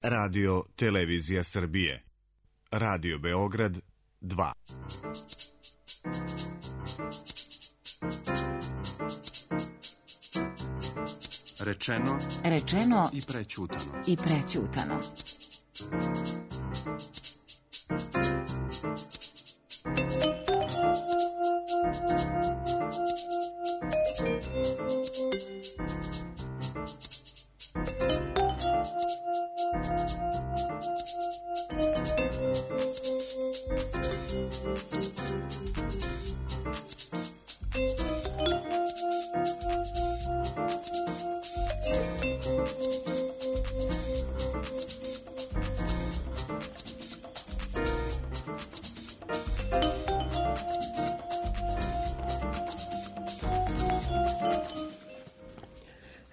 Radio Televizija Srbije. Radio Beograd 2. Rečeno i prećutano.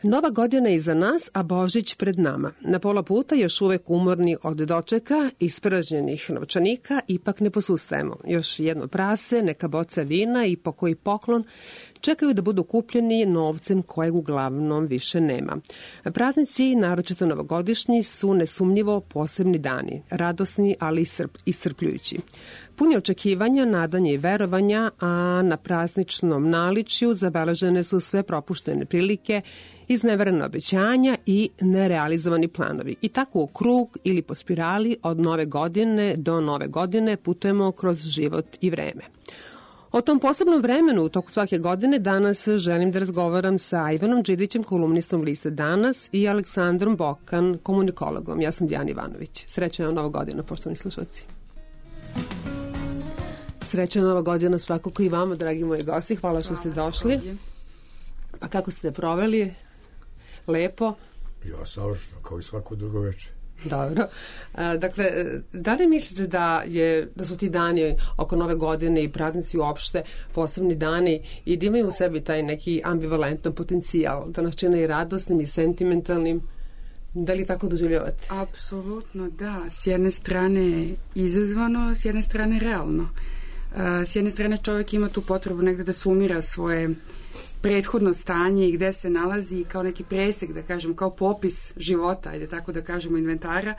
Nova godina je iza nas, a Božić pred nama. Na pola puta još uvek umorni od dočeka, ispražnjenih novčanika, ipak ne posustajemo. Još jedno prase, neka boca vina i pokoji poklon čekaju da budu kupljeni novcem kojeg uglavnom više nema. Praznici, naročito novogodišnji, su nesumnjivo posebni dani, radosni, ali iscrpljujući. Puni očekivanja, nadanja i verovanja, a na prazničnom naličju zabeležene su sve propuštene prilike, izneverena obećanja i nerealizovani planovi. I tako u krug ili po spirali od nove godine do nove godine putujemo kroz život i vreme. O tom posebnom vremenu u toku svake godine danas želim da razgovaram sa Ivanom Đidićem, kolumnistom liste Danas, i Aleksandrom Bokan, komunikologom. Ja sam Dijana Ivanović. Srećna Nova godina, poštovani slušalci. Srećna Nova godina svakako i vama, dragi moji gosti. Hvala što ste došli. Pa kako ste proveli? Lepo? Ja savršeno, kao i svako drugo večer. Dobro. Dakle, da li mislite da su ti dani oko nove godine i praznici uopšte posebni dani i da imaju u sebi taj neki ambivalentan potencijal, da nas čine i radosnim i sentimentalnim? Da li tako doživljavate? Apsolutno, da. S jedne strane izazvano, s jedne strane realno. S jedne strane čovjek ima tu potrebu negde da sumira svoje prethodno stanje i gde se nalazi kao neki presek, da kažem, kao popis života, ajde tako da kažemo, inventara,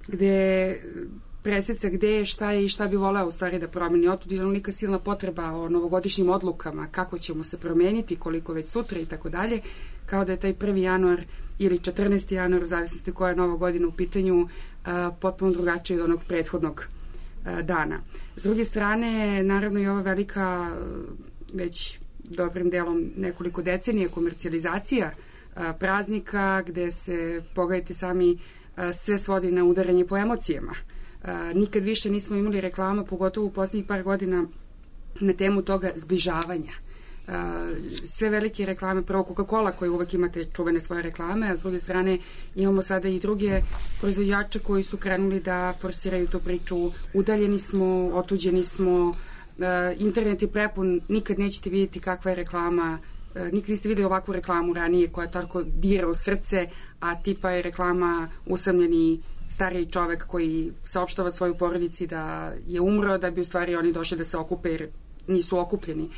gde preseca gde je, šta je i šta bi voleo u stvari da promeni. Otud je onoliko silna potreba o novogodišnjim odlukama, kako ćemo se promeniti, koliko već sutra i tako dalje, kao da je taj 1. januar ili 14. januar, u zavisnosti koja je nova godina u pitanju, potpuno drugačiji od onog prethodnog dana. S druge strane, naravno i ova velika, već dobrim delom nekoliko decenija, komercijalizacija praznika, gde se, pogledajte sami, sve svodi na udaranje po emocijama. Nikad više nismo imali reklama, pogotovo u poslednjih par godina, na temu toga zbližavanja. Sve velike reklame, prvo Coca-Cola koji uvek imate čuvene svoje reklame, a s druge strane imamo sada i druge proizvođače koji su krenuli da forsiraju tu priču. Udaljeni smo, otuđeni smo, internet je prepun, nikad nećete vidjeti kakva je reklama, nikad niste videli ovakvu reklamu ranije koja tako dira u srce, a tipa je reklama usamljeni stariji čovek koji saopštava svojoj porodici da je umro, da bi u stvari oni došli da se okupe jer nisu okupljeni.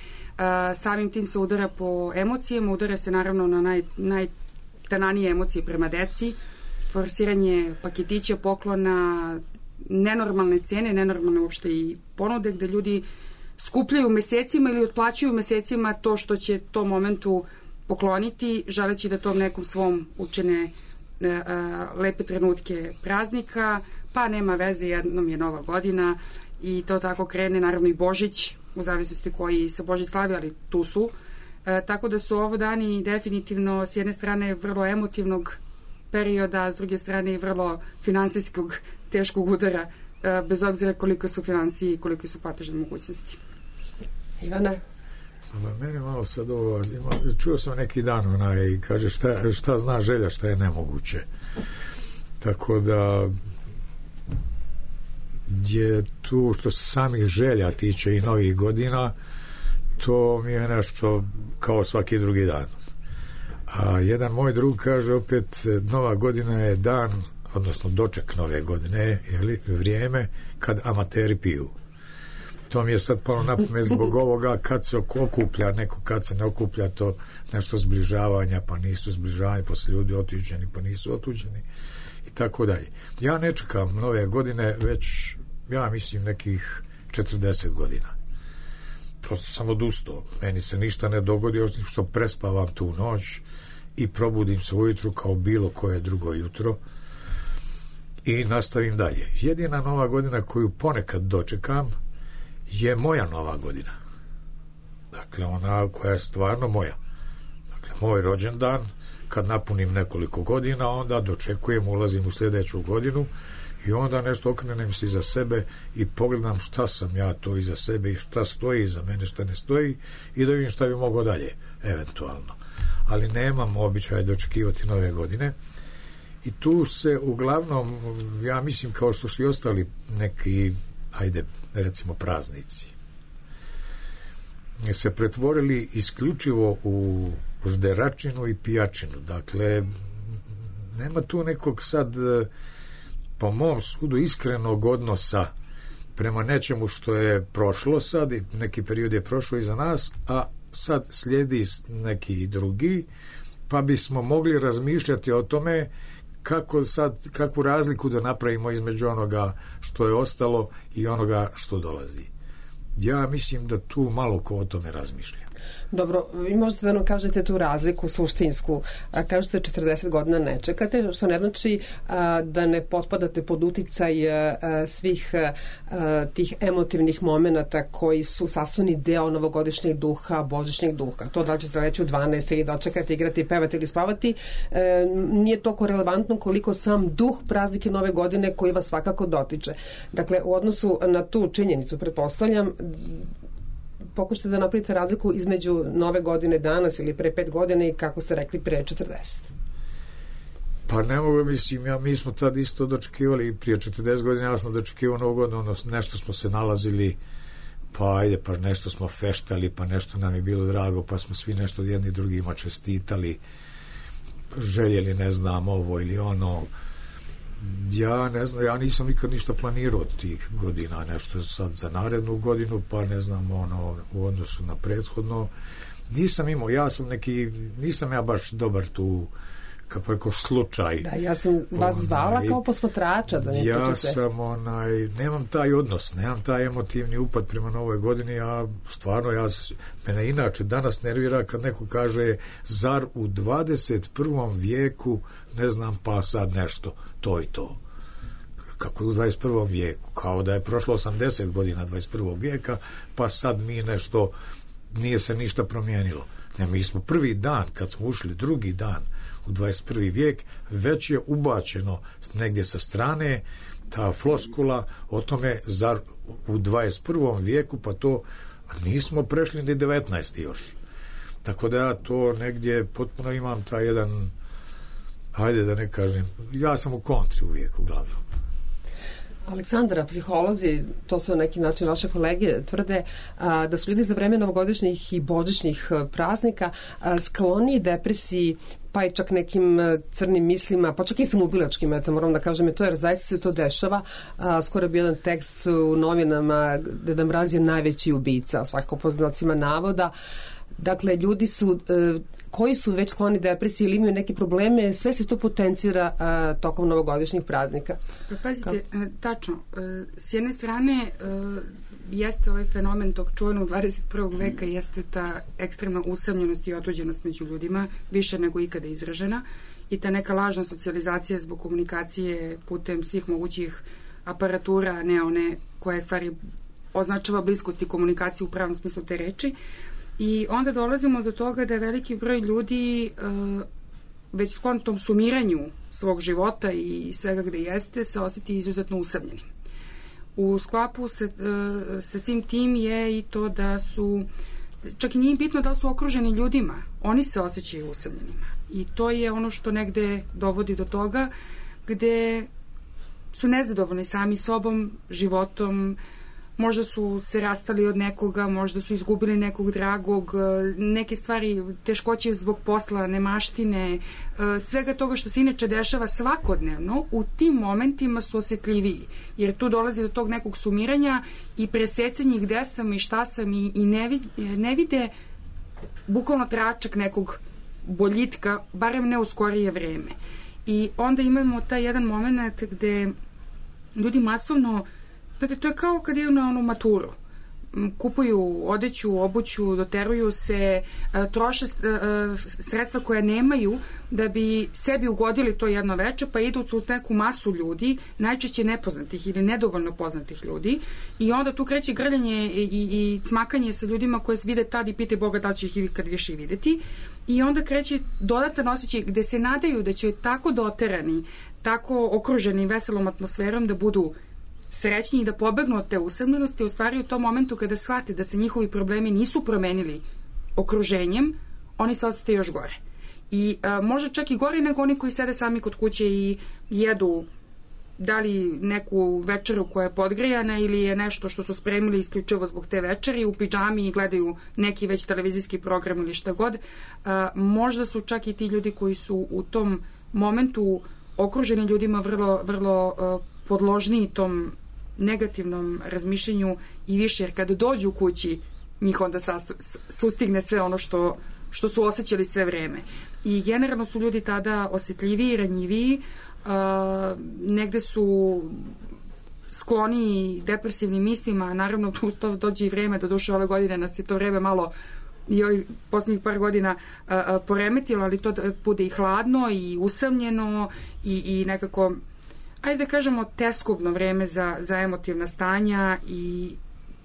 Samim tim se udara po emocijama, udara se naravno na najtananije emocije prema deci, forsiranje paketića, poklona, nenormalne cene, nenormalne uopšte i ponude gde ljudi skupljaju mesecima ili otplaćuju mesecima to što će tom momentu pokloniti, želeći da tom nekom svom učine lepe trenutke praznika, pa nema veze, jednom je nova godina i to tako krene, naravno i Božić, u zavisnosti koji se Božić slavi, ali tu su. Tako da su ovo dani definitivno s jedne strane vrlo emotivnog perioda, a s druge strane i vrlo finansijskog teškog udara, bez obzira koliko su finansije i koliko su platežne mogućnosti. Ivane? Mene malo sad ovo, čuo sam neki dan i kaže šta zna želja, šta je nemoguće. Tako da je tu što se samih želja tiče i novih godina, to mi je nešto kao svaki drugi dan. A jedan moj drug kaže opet, nova godina je dan, odnosno doček nove godine, vrijeme kad amateri piju. To mi je sad palo na pamet zbog ovoga kad se okuplja neko, kad se ne okuplja, to nešto zbližavanja, pa nisu zbližavanja, pa su ljudi otuđeni, pa nisu otuđeni i tako dalje. Ja ne čekam nove godine već, ja mislim, nekih 40 godina. Prosto sam odustao. Meni se ništa ne dogodi osim što prespavam tu noć i probudim se ujutru kao bilo koje drugo jutro i nastavim dalje. Jedina nova godina koju ponekad dočekam je moja nova godina. Dakle, ona koja je stvarno moja. Dakle, moj rođendan, kad napunim nekoliko godina, onda dočekujem, ulazim u sljedeću godinu i onda nešto okrenem se iza sebe i pogledam šta sam ja to iza sebe i šta stoji iza mene, šta ne stoji i da vidim šta bi mogao dalje, eventualno. Ali nemam običaj dočekivati nove godine i tu se uglavnom, ja mislim, kao što su i ostali neki, ajde, recimo praznici, se pretvorili isključivo u žderačinu i pijačinu. Dakle, nema tu nekog sad, po mom sudu, iskrenog odnosa prema nečemu što je prošlo sad, neki period je prošlo iza nas, a sad slijedi neki drugi, pa bismo mogli razmišljati o tome kakvu razliku da napravimo između onoga što je ostalo i onoga što dolazi. Ja mislim da tu malo ko o tome razmišlja. Dobro, vi možete da nam kažete tu razliku suštinsku. Kažete 40 godina ne čekate, što ne znači da ne potpadate pod uticaj svih tih emotivnih momenata koji su sastavni deo novogodišnjeg duha, božićnjeg duha. To da li ćete reći u 12 ili dočekati, igrati, pevati ili spavati, nije toliko relevantno koliko sam duh praznike nove godine koji vas svakako dotiče. Dakle, u odnosu na tu činjenicu, pretpostavljam, pokušajte da napravite razliku između nove godine danas ili pre 5 godina i kako ste rekli pre 40. Pa ne mogu, mislim, mi smo tad isto dočekivali prije 40 godina, ja sam dočekivao novu godinu, nešto smo se nalazili, pa ajde, pa nešto smo feštali, pa nešto nam je bilo drago, pa smo svi nešto jedni drugima čestitali, željeli, ne znam, ovo ili ono. Ja ne znam, ja nisam nikad ništa planirao od tih godina, nešto sad za narednu godinu, pa ne znam, ono, u odnosu na prethodno. Nisam imao, nisam ja baš dobar tu, kako rekao, slučaj. Da, ja sam vas zvala kao posmatrača. Da ja sam, nemam taj odnos, nemam taj emotivni upad prema novoj godini, mene inače danas nervira kad neko kaže, zar u 21. vijeku, ne znam, pa sad nešto, to i to. Kako u 21. vijeku, kao da je prošlo 80 godina 21. vijeka, pa sad mi nešto, nije se ništa promijenilo. Ne, mi smo prvi dan, kad smo ušli, drugi dan u 21. vijek, već je ubačeno negdje sa strane ta floskula o tome, zar u 21. vijeku, pa to nismo prešli ni 19. još. Tako da ja to negdje potpuno imam taj jedan, ajde da ne kažem, ja sam u kontri uvijek uglavnom. Aleksandra, psiholozi, to su na neki način vaše kolege, tvrde da su ljudi za vreme novogodišnjih i božićnih praznika skloni depresiji, pa i čak nekim crnim mislima, pa čak i samoubilačkim, moram da kažem, to jer zaista se to dešava. Skoro je bio jedan tekst u novinama Deda Mraz je najveći ubica, svakako po znacima navoda. Dakle, ljudi su koji su već skloni depresiji ili imaju neke probleme, sve se to potencira tokom novogodišnjih praznika. Pa pazite, tačno. S jedne strane jeste ovaj fenomen tog čuvenog 21. veka, jeste ta ekstremna usamljenost i otuđenost među ljudima, više nego ikada izražena, i ta neka lažna socijalizacija zbog komunikacije putem svih mogućih aparatura, ne one koje stvari označava bliskost i komunikaciju u pravom smislu te reči. I onda dolazimo do toga da je veliki broj ljudi već sklon tom sumiranju svog života i svega gde jeste se osjeti izuzetno usamljenim. U sklapu sa svim tim je i to da su, čak i nije bitno da su okruženi ljudima, oni se osjećaju usamljenima. I to je ono što negde dovodi do toga gde su nezadovoljni sami sobom, životom, možda su se rastali od nekoga, možda su izgubili nekog dragog, neke stvari, teškoće zbog posla, nemaštine, svega toga što se inače dešava svakodnevno, u tim momentima su osjetljiviji, jer tu dolazi do tog nekog sumiranja i presecanje gde sam i šta sam i ne vide bukvalno tračak nekog boljitka, barem ne u skorije vreme. I onda imamo taj jedan moment gde ljudi masovno, znate, to je kao kad idu na onu maturu. Kupuju odeću, obuću, doteruju se, troše sredstva koja nemaju da bi sebi ugodili to jedno veče, pa idu u neku masu ljudi, najčešće nepoznatih ili nedovoljno poznatih ljudi, i onda tu kreće grljanje i cmakanje sa ljudima koje se vide tad i pite Boga da će ih ikad više videti, i onda kreće dodatan osjećaj gde se nadaju da će tako doterani, tako okruženi veselom atmosferom da budu srećni i da pobegnu od te usamljenosti. U stvari u tom momentu kada shvate da se njihovi problemi nisu promenili okruženjem, oni se osjete još gore. I možda čak i gore nego oni koji sede sami kod kuće i jedu da li neku večeru koja je podgrejana ili je nešto što su spremili isključivo zbog te večeri u pidžami i gledaju neki već televizijski program ili šta god. Možda su čak i ti ljudi koji su u tom momentu okruženi ljudima vrlo podložniji tom negativnom razmišljenju i više, jer kada dođu kući njih onda sustigne sve ono što su osjećali sve vreme. I generalno su ljudi tada osjetljiviji, ranjiviji, negde su skloni depresivnim mislima, naravno tu dođe i vreme, doduše ove godine nas je to vreme malo i ovih poslednjih par godina poremetilo, ali to bude i hladno i usamljeno i nekako, ajde da kažemo, teskobno vreme za emotivna stanja, i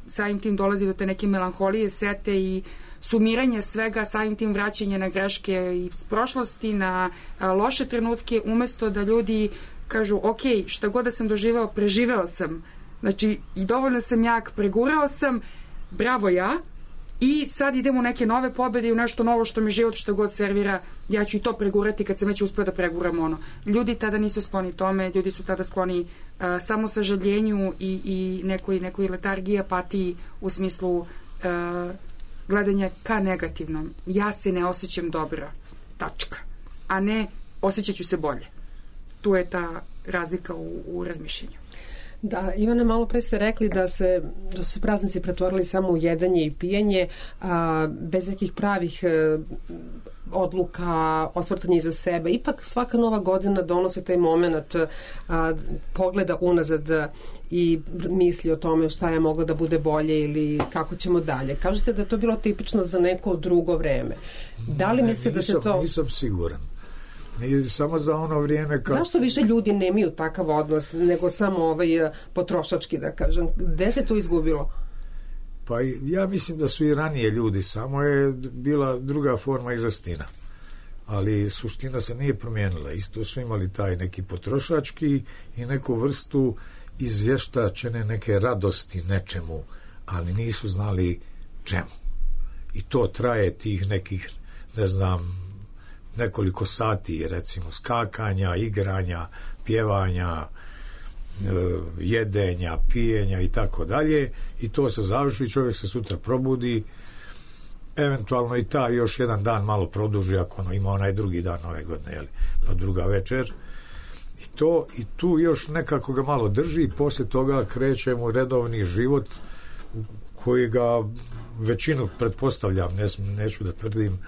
samim tim dolazi do te neke melanholije, sete i sumiranje svega, samim tim vraćanje na greške iz prošlosti, na loše trenutke, umesto da ljudi kažu ok, šta god da sam doživao, preživeo sam, znači i dovoljno sam jak, pregurao sam, bravo ja, i sad idemo u neke nove pobede i u nešto novo što mi život što god servira, ja ću i to pregurati kad sam već uspio da preguram ono. Ljudi tada nisu skloni tome, ljudi su tada skloni samo sažaljenju i nekoj letargiji, apatiji u smislu gledanja ka negativnom. Ja se ne osjećam dobro, tačka, a ne osjećat ću se bolje. Tu je ta razlika u razmišljenju. Da, Ivana, malo pre ste rekli da su praznici pretvorili samo u jedanje i pijenje, bez nekih pravih odluka, osvrtanje iza sebe. Ipak svaka nova godina donosi taj moment pogleda unazad i misli o tome šta je moglo da bude bolje ili kako ćemo dalje. Kažete da je to bilo tipično za neko drugo vreme. Da li mislite da se to... Nisam siguran. Nije samo za ono vrijeme kad... Zašto više ljudi nemaju takav odnos nego samo potrošački, da kažem? Gde se to izgubilo? Pa ja mislim da su i ranije ljudi, samo je bila druga forma i žestina. Ali suština se nije promijenila. Isto su imali taj neki potrošački i neku vrstu izvještačene neke radosti nečemu, ali nisu znali čemu. I to traje tih nekih, ne znam, nekoliko sati, recimo, skakanja, igranja, pjevanja, jedenja, pijenja i tako dalje, i to se završi, čovjek se sutra probudi, eventualno i ta još jedan dan malo produži ako ono ima onaj drugi dan ove godine, jeli, pa druga večer, i tu još nekako ga malo drži, i poslije toga krećemo u redovni život koji ga većinu, pretpostavljam, neću da tvrdim,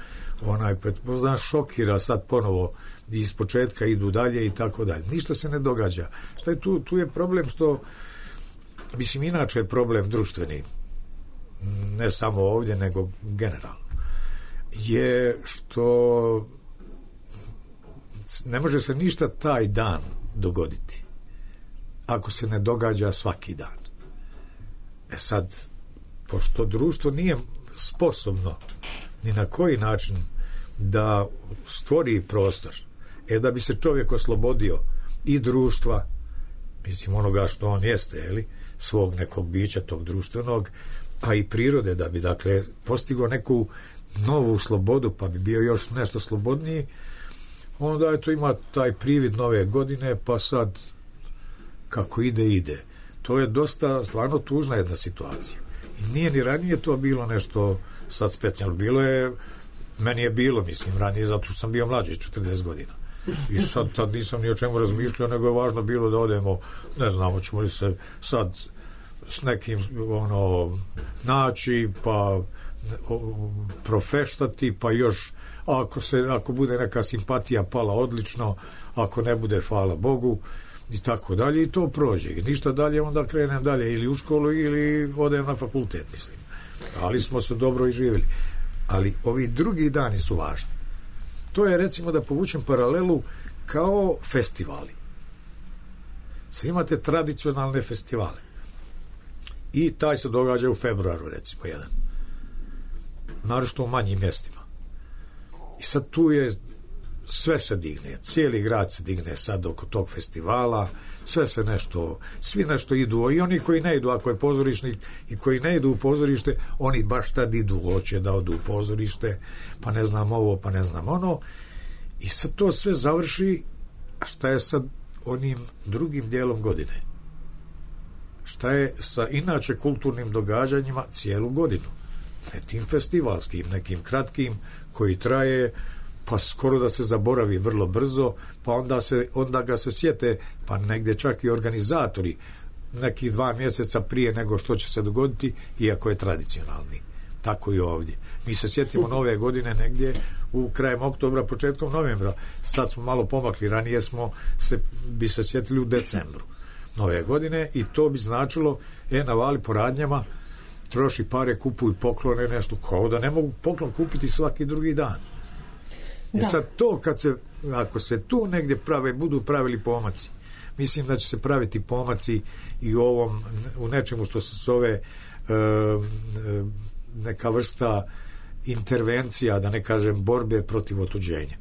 pretpostavljam, šokira sad ponovo, i iz početka idu dalje i tako dalje. Ništa se ne događa. Šta je tu? Tu je problem što, mislim, inače je problem društveni, ne samo ovdje, nego generalno, je što ne može se ništa taj dan dogoditi ako se ne događa svaki dan. Sad, pošto društvo nije sposobno ni na koji način da stvori prostor, da bi se čovjek oslobodio i društva, mislim, onoga što on jeste, jeli, svog nekog bića, tog društvenog, a i prirode, da bi, dakle, postigao neku novu slobodu, pa bi bio još nešto slobodniji, onda eto ima taj privid nove godine, pa sad kako ide. To je dosta stvarno tužna jedna situacija. I nije ni ranije to bilo nešto sad specijalno. Bilo je, meni je bilo, mislim, ranije, zato što sam bio mlađi, 40 godina. I sad tad nisam ni o čemu razmišljao, nego je važno bilo da odemo, ne znam, hoćemo li se sad s nekim naći, pa profeštati, pa još ako bude neka simpatija pala odlično, ako ne bude, hvala Bogu, i tako dalje, i to prođe. I ništa dalje, onda krenem dalje ili u školu ili odem na fakultet, mislim. Ali smo se dobro i živjeli. Ali ovi drugi dani su važni. To je, recimo, da povučem paralelu kao festivali. Sve imate tradicionalne festivale. I taj se događa u februaru, recimo, jedan. Naročito u manjim mjestima. I sad tu je sve se digne, cijeli grad se digne sad oko tog festivala, svi nešto idu, i oni koji ne idu, ako je pozorišnik, i koji ne idu u pozorište, oni baš tad idu, hoće da odu u pozorište, pa ne znam ovo, pa ne znam ono, i sad to sve završi. A šta je sad onim drugim dijelom godine? Šta je sa inače kulturnim događanjima cijelu godinu? Ne tim festivalskim, nekim kratkim, koji traje, pa skoro da se zaboravi vrlo brzo, pa onda ga se sjete, pa negdje čak i organizatori nekih 2 mjeseca prije nego što će se dogoditi, iako je tradicionalni. Tako i ovdje. Mi se sjetimo nove godine negdje u krajem oktobra, početkom novembra. Sad smo malo pomakli, ranije bi se sjetili u decembru nove godine, i to bi značilo navali po radnjama, troši pare, kupuj poklone, nešto, kao da ne mogu poklon kupiti svaki drugi dan. Sad to, ako se tu negdje budu pravili pomaci, mislim da će se praviti pomaci i u nečemu što se zove neka vrsta intervencija, da ne kažem borbe protiv otuđenja.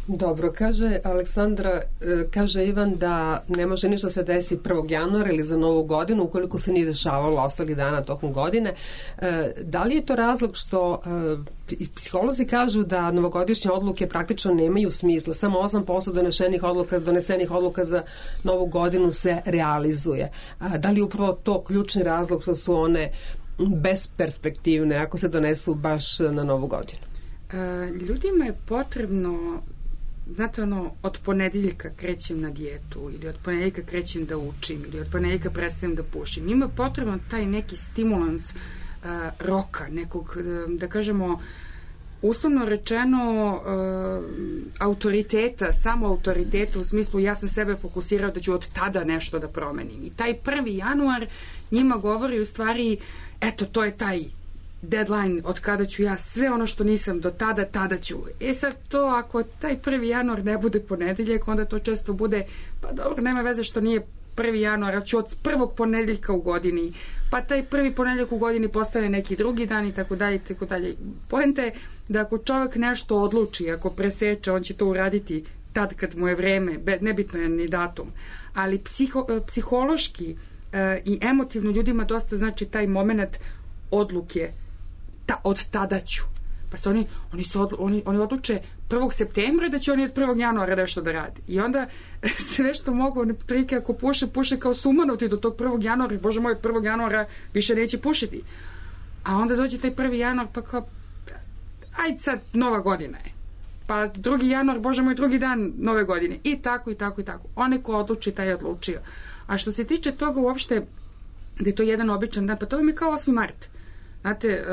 Dobro, kaže Aleksandra, kaže Ivan da ne može ništa se desi 1. januara ili za novu godinu ukoliko se nije dešavalo ostalih dana tokom godine. Da li je to razlog što psiholozi kažu da novogodišnje odluke praktično nemaju smisla, samo 8% donesenih odluka za novu godinu se realizuje? Da li je upravo to ključni razlog što su one besperspektivne ako se donesu baš na novu godinu? Ljudima je potrebno, znate, od ponedeljka krećem na dijetu, ili od ponedeljka krećem da učim, ili od ponedeljka prestajem da pušim. Ima potrebno taj neki stimulans roka, nekog, da kažemo, uslovno rečeno, autoriteta, samo autoriteta, u smislu ja sam sebe fokusirao da ću od tada nešto da promenim. I taj 1. januar njima govori u stvari, eto, to je taj deadline od kada ću ja sve ono što nisam do tada ću. Sad to, ako taj 1. januar ne bude ponedeljak, onda to često bude, pa dobro, nema veze što nije 1. januar, ali ću od prvog ponedeljka u godini, pa taj prvi ponedeljak u godini postane neki drugi dan i tako dalje, tako dalje. Poenta je da ako čovjek nešto odluči, ako preseče, on će to uraditi tad kad mu je vreme, nebitno je ni datum, ali psihološki i emotivno ljudima dosta znači taj moment odluke, od tada ću. Pa se oni odluče 1. septembra da će oni od 1. januara nešto da radi. I onda sve što mogu, prilike ako puše kao sumanuti do tog 1. januara, bože moj, od 1. januara više neće pušiti. A onda dođe taj 1. januar, pa kao, ajde sad, nova godina je. Pa 2. januar, bože moj, drugi dan nove godine. I tako, i tako, i tako. Onaj ko odluči, taj je odlučio. A što se tiče toga uopšte, da je to jedan običan dan, pa to je kao 8. mart. Znate,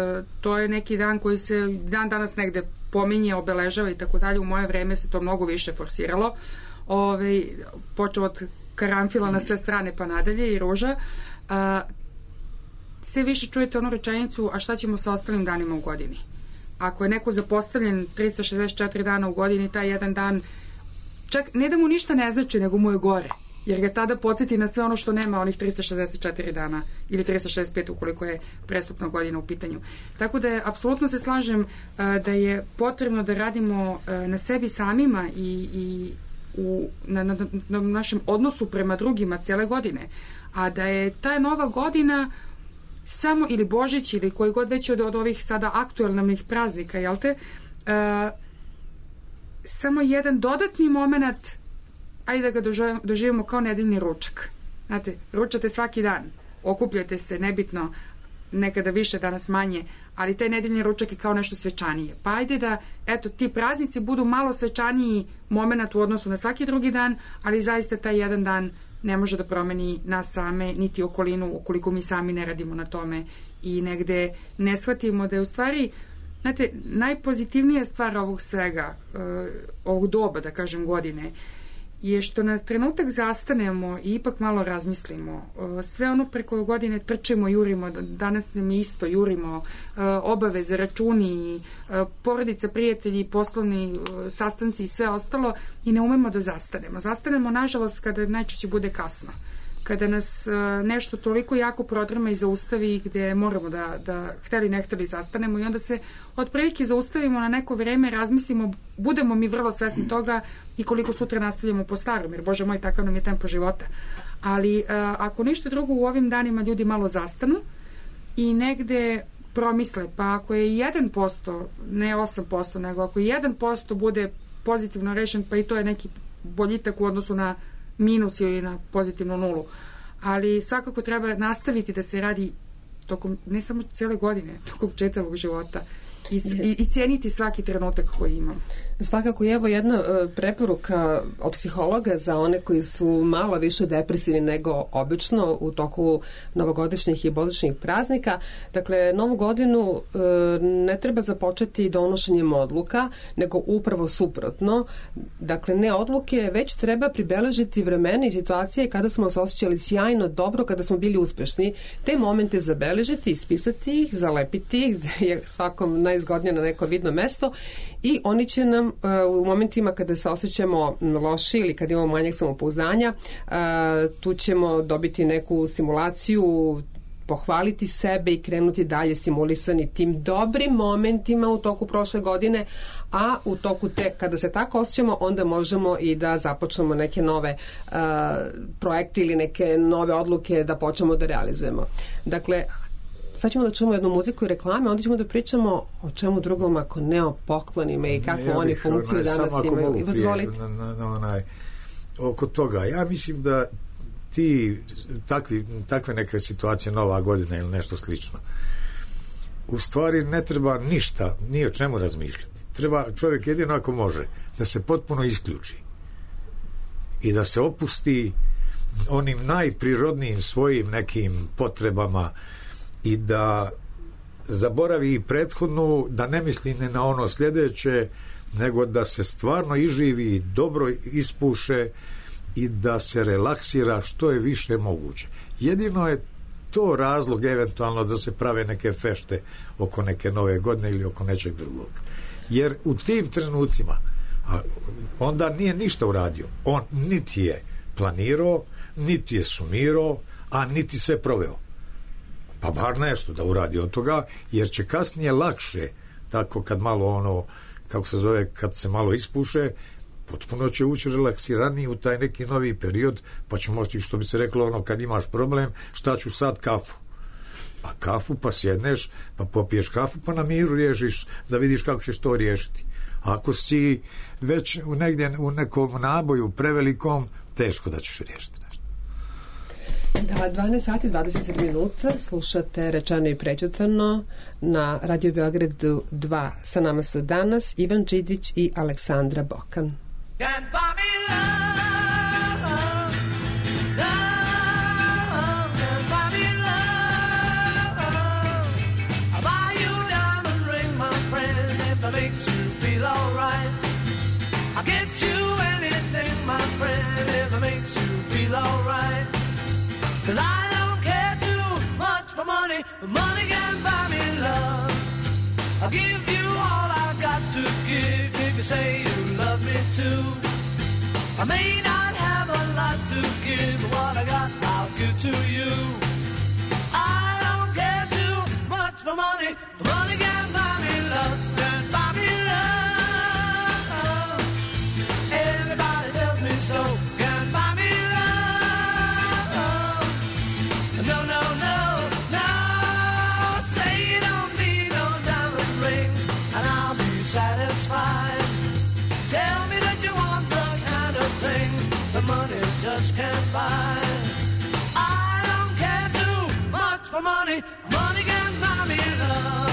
to je neki dan koji se dan danas negde pominje, obeležava i tako dalje. U moje vreme se to mnogo više forsiralo. Počeo od karanfila na sve strane pa nadalje i ruža. Sve više čujete onu rečenicu, a šta ćemo sa ostalim danima u godini? Ako je neko zapostavljen 364 dana u godini, taj jedan dan, čak ne da mu ništa ne znači, nego mu je gore. Jer ga tada podsjeti na sve ono što nema onih 364 dana ili 365 ukoliko je prestupna godina u pitanju. Tako da apsolutno se slažem da je potrebno da radimo na sebi samima i na našem odnosu prema drugima cijele godine. A da je ta nova godina samo, ili Božić ili koji god već od ovih sada aktualnih praznika, jel te, samo jedan dodatni moment, ajde da ga doživimo kao nedeljni ručak. Znate, ručate svaki dan, okupljate se, nebitno, nekada više, danas manje, ali taj nedeljni ručak je kao nešto svečanije. Pa ajde da, eto, ti praznici budu malo svečaniji moment u odnosu na svaki drugi dan, ali zaista taj jedan dan ne može da promeni nas same, niti okolinu, ukoliko mi sami ne radimo na tome i negde ne shvatimo da je u stvari, znate, najpozitivnija stvar ovog svega, ovog doba, da kažem, godine, je što na trenutak zastanemo i ipak malo razmislimo. Sve ono preko godine trčimo, jurimo, danas nam je isto, jurimo, obaveze, računi, porodica, prijatelji, poslovni sastanci i sve ostalo i ne umemo da zastanemo. Zastanemo, nažalost, kada najčešće bude kasno. Kada nas nešto toliko jako prodrma i zaustavi gde moramo da hteli ne hteli zastanemo i onda se otprilike zaustavimo na neko vreme, razmislimo, budemo mi vrlo svesni toga i koliko sutra nastavljamo po starom, jer Bože moj, takav nam je tempo života. Ali ako ništa drugo, u ovim danima ljudi malo zastanu i negde promisle, pa ako je 1%, ne 8%, nego ako 1% bude pozitivno rešen, pa i to je neki boljitak u odnosu na minus ili na pozitivnu nulu. Ali svakako treba nastaviti da se radi tokom, ne samo cele godine, tokom čitavog života i cijeniti svaki trenutak koji imamo. Svakako je evo jedna preporuka od psihologa za one koji su malo više depresivni nego obično u toku novogodišnjih i božićnih praznika. Dakle, novu godinu ne treba započeti donošenjem odluka, nego upravo suprotno. Dakle, ne odluke, već treba pribeležiti vremena i situacije kada smo se osjećali sjajno, dobro, kada smo bili uspešni. Te momente zabeležiti, ispisati ih, zalepiti ih, je svakom najzgodnije na neko vidno mesto i oni će nam u momentima kada se osjećamo loši ili kada imamo manjak samopouzdanja, tu ćemo dobiti neku stimulaciju, pohvaliti sebe i krenuti dalje stimulisani tim dobrim momentima u toku prošle godine, a u toku kada se tako osjećamo, onda možemo i da započnemo neke nove projekte ili neke nove odluke da počnemo da realizujemo. Dakle, sad ćemo da čujemo jednu muziku i reklame, onda ćemo da pričamo o čemu drugom ako ne o poklonima i kakvu oni funkciju danas imaju. Oko toga, ja mislim da takve neke situacije, Nova godina ili nešto slično, u stvari ne treba ništa, ni o čemu razmišljati. Treba čovjek jedino ako može da se potpuno isključi i da se opusti onim najprirodnijim svojim nekim potrebama i da zaboravi prethodnu, da ne misli ne na ono sljedeće, nego da se stvarno iživi, dobro ispuše i da se relaksira što je više moguće. Jedino je to razlog eventualno da se prave neke fešte oko neke nove godine ili oko nečeg drugog. Jer u tim trenucima onda nije ništa uradio. On niti je planirao, niti je sumirao, a niti se proveo. Pa bar nešto da uradi od toga, jer će kasnije lakše, tako kad malo kako se zove, kad se malo ispuše, potpuno će ući relaksiraniji u taj neki novi period, pa će moći, što bi se reklo, kad imaš problem, šta ću sad, kafu. Pa kafu, pa sjedneš, pa popiješ kafu, pa na miru riješiš, da vidiš kako ćeš to riješiti. Ako si već negdje u nekom naboju prevelikom, teško da ćeš riješiti nešto. Da, 12 sati 20 minuta slušate Rečeno i prećutvano na Radio Beogradu 2. Sa nama su danas Ivan Đidić i Aleksandra Bokan. Cause I don't care too much for money, but money can buy me love. I'll give you all I've got to give if you say you love me too. I may not have a lot to give, but what I got I'll give to you. I don't care too much for money, but money can buy me love, can buy me love. Everybody tells me so. Just can't buy. I don't care too much for money. Money can buy me love.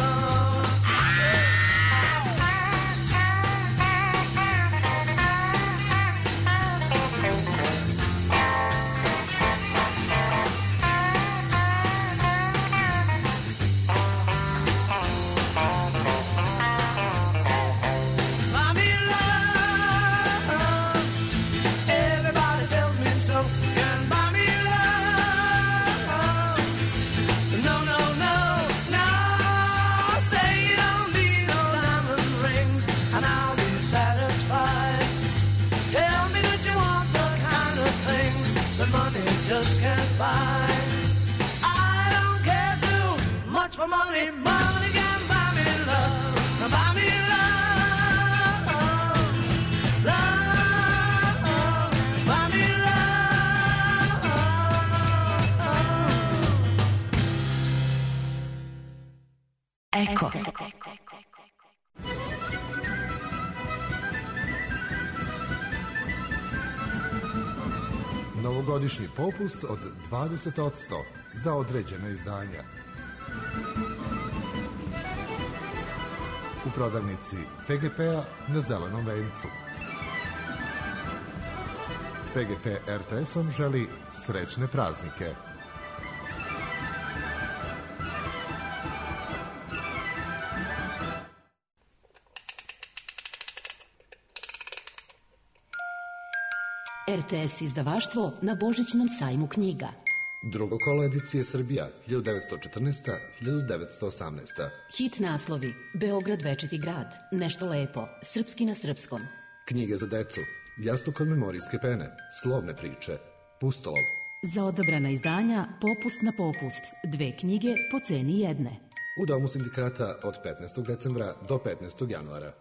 just can't buy. I don't care too much for money. Money can buy me love. Buy me love. Love. Buy me love. Eko. Novogodišnji popust od 20% za određena izdanja. U prodavnici PGP-a na Zelenom vencu. PGP RTS-om želi srećne praznike. RTS izdavaštvo na Božićnom sajmu knjiga. Drugo kolo edicije Srbija, 1914-1918. Hit naslovi: Beograd večiti grad, Nešto lepo, Srpski na srpskom. Knjige za decu, Jastuk od memorijske pene, Slovne priče, Pustolov. Za odabrana izdanja popust na popust, 2 knjige po ceni jedne. U Domu sindikata od 15. decembra do 15. januara.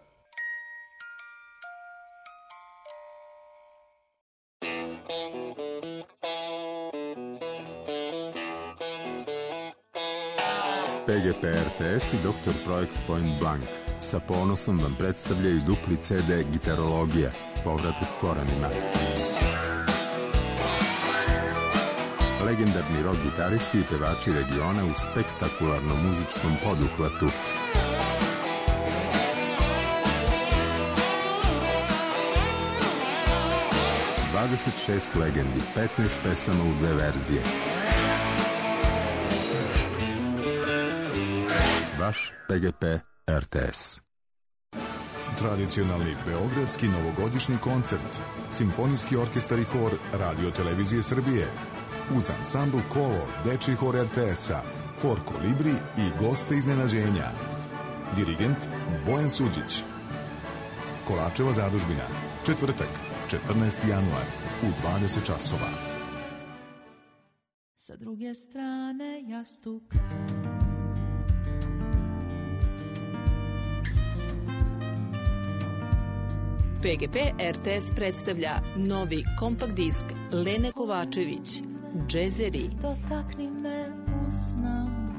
PGP RTS i Dr. Projekt Point Blank sa ponosom vam predstavljaju dupli CD Gitarologija, povratak korenima. Legendarni rock gitaristi i pevači regiona u spektakularnom muzičkom poduhvatu. ...26 legendi, 15 pesama u 2 verzije. Vaš PGP RTS. Tradicionalni beogradski novogodišnji koncert, Simfonijski orkestar i hor Radio Televizije Srbije, uz ansambl Kolo, Dečiji hor RTS-a, hor Kolibri i goste iznenađenja. Dirigent Bojan Suđić. Kolačeva zadužbina, četvrtak, 14. januar, u 20 časova. Sa druge strane jastuka PGP RTS predstavlja novi kompakt disk Lene Kovačević, Džezeri. Dotakni me usnama.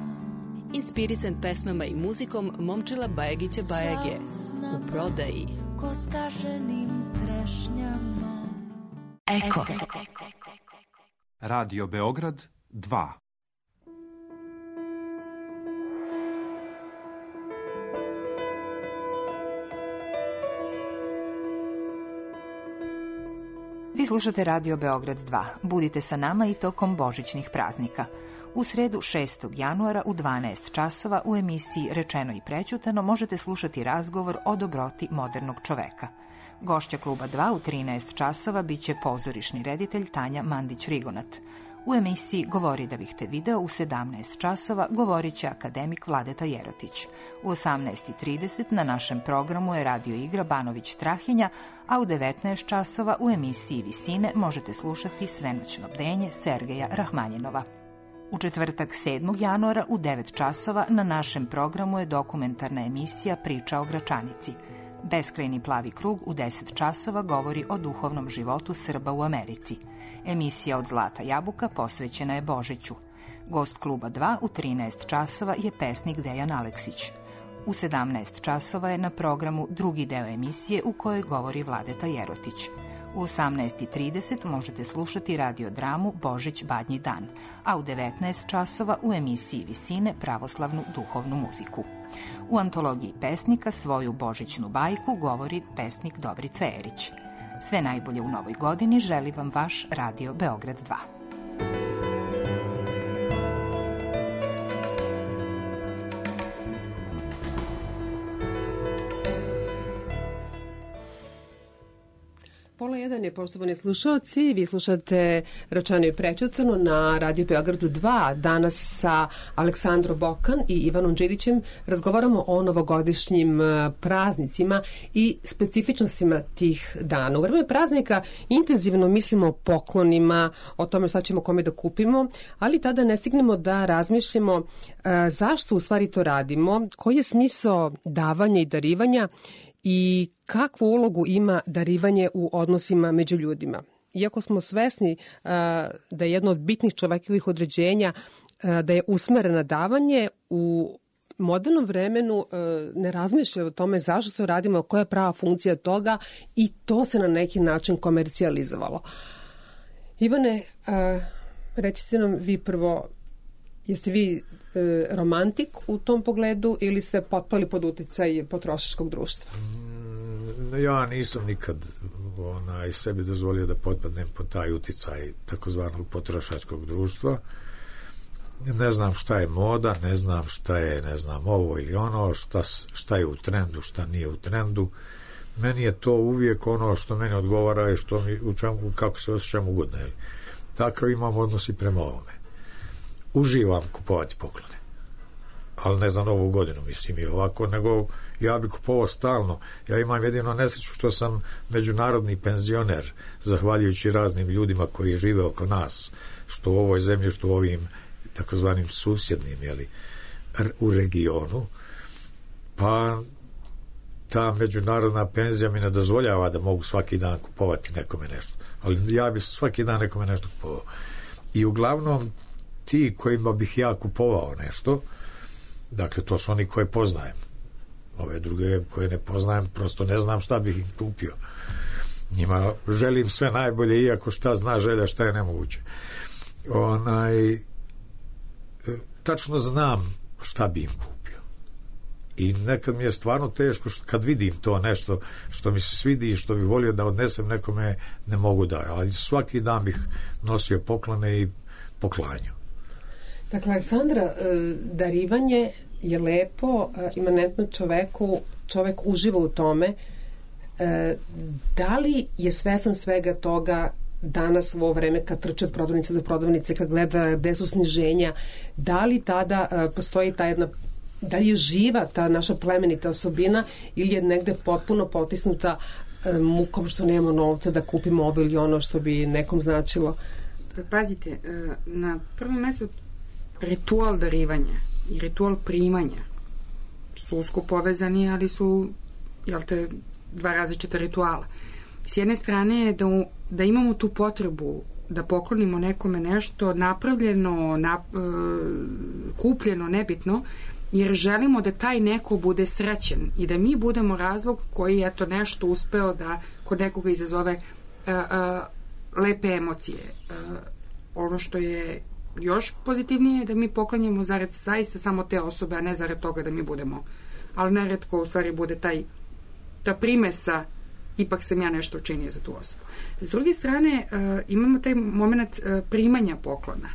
Inspirisan pesmama i muzikom Momčila Bajagića Bajage. U prodaji. Ko skaženim trešnjama. Eko. Radio Beograd 2. Vi slušate Radio Beograd 2. Budite sa nama i tokom božićnih praznika. U sredu 6. januara u 12 časova u emisiji Rečeno i prećutano možete slušati razgovor o dobroti modernog čoveka. Gošća Kluba 2 u 13 časova biće pozorišni reditelj Tanja Mandić-Rigonat. U emisiji Govori da bih te video u 17 časova govorit će akademik Vladeta Jerotić. U 18:30 na našem programu je radio igra Banović Strahinja, a u 19 časova u emisiji Visine možete slušati Svenoćno bdenje Sergeja Rahmanjinova. U četvrtak 7. januara u 9 časova na našem programu je dokumentarna emisija Priča o Gračanici. Beskrajni plavi krug u 10 časova govori o duhovnom životu Srba u Americi. Emisija Od zlata jabuka posvećena je Božiću. Gost Kluba 2 u 13 časova je pesnik Dejan Aleksić. U 17 časova je na programu drugi deo emisije u kojoj govori Vladeta Jerotić. U 18:30 možete slušati radiodramu Božić Badnji dan, a u 19 časova u emisiji Visine pravoslavnu duhovnu muziku. U antologiji pesnika svoju božićnu bajku govori pesnik Dobrica Erić. Sve najbolje u novoj godini želi vam vaš Radio Beograd 2. Pola jedan je, poštovani slušalci, vi slušate Rečeno i prećutano na Radio Beogradu 2. Danas sa Aleksandrom Bokan i Ivanom Đidićem razgovaramo o novogodišnjim praznicima i specifičnostima tih dana. U vreme praznika intenzivno mislimo o poklonima, o tome šta ćemo kome da kupimo, ali tada ne stignemo da razmišljamo zašto u stvari to radimo, koji je smisao davanja i darivanja i kakvu ulogu ima darivanje u odnosima među ljudima. Iako smo svesni da je jedno od bitnih čovekovih određenja da je usmereno davanje, u modernom vremenu ne razmišlja o tome zašto to radimo, koja je prava funkcija toga i to se na neki način komercijalizovalo. Ivane, recite nam vi prvo, jeste vi romantik u tom pogledu ili ste potpali pod uticaj potrošačkog društva? Ja nisam nikad sebi dozvolio da potpadnem pod taj uticaj takozvanog potrošačkog društva. Ne znam šta je moda, ne znam šta je, ovo ili ono, šta je u trendu, šta nije u trendu. Meni je to uvijek ono što meni odgovara i što mi, kako se osjećam ugodno. Takav imam odnos i prema ovome. Uživam kupovati poklone, ali ne znam ovu godinu, mislim i ovako, nego ja bi kupovao stalno. Ja imam jedino nesreću što sam međunarodni penzioner, zahvaljujući raznim ljudima koji žive oko nas, što u ovoj zemlji, što u ovim takozvanim susjednim, u regionu, pa ta međunarodna penzija mi ne dozvoljava da mogu svaki dan kupovati nekome nešto, ali ja bi svaki dan nekome nešto kupovao. I uglavnom ti kojima bih ja kupovao nešto, dakle to su oni koje poznajem. Ove druge koje ne poznajem, prosto ne znam šta bih im kupio. Njima želim sve najbolje, iako šta zna želja, šta je nemoguće. Tačno znam šta bi im kupio. I nekad mi je stvarno teško kad vidim to nešto što mi se svidi i što bi volio da odnesem nekome, ne mogu da. Ali svaki dan bih nosio poklone i poklanjao. Dakle, Aleksandra, darivanje je lepo, imanentno čoveku, čovek uživa u tome. Da li je svestan svega toga danas u ovo vreme kad trče od prodavnice do prodavnice, kad gleda gde su sniženja, da li tada postoji ta jedna, da li je živa ta naša plemenita osobina ili je negde potpuno potisnuta mukom što nemamo novca da kupimo ovo ili ono što bi nekom značilo? Pazite, na prvom mestu ritual darivanja i ritual primanja su usko povezani, ali su dva različita rituala. S jedne strane je da imamo tu potrebu da poklonimo nekome nešto napravljeno, kupljeno, nebitno, jer želimo da taj neko bude srećen i da mi budemo razlog koji je to nešto uspeo da kod nekoga izazove lepe emocije. Ono što je još pozitivnije je da mi poklanjamo zarad zaista samo te osobe, a ne zarad toga da mi budemo. Ali neretko u stvari bude ta primesa, ipak sam ja nešto učinio za tu osobu. S druge strane, imamo taj moment primanja poklona,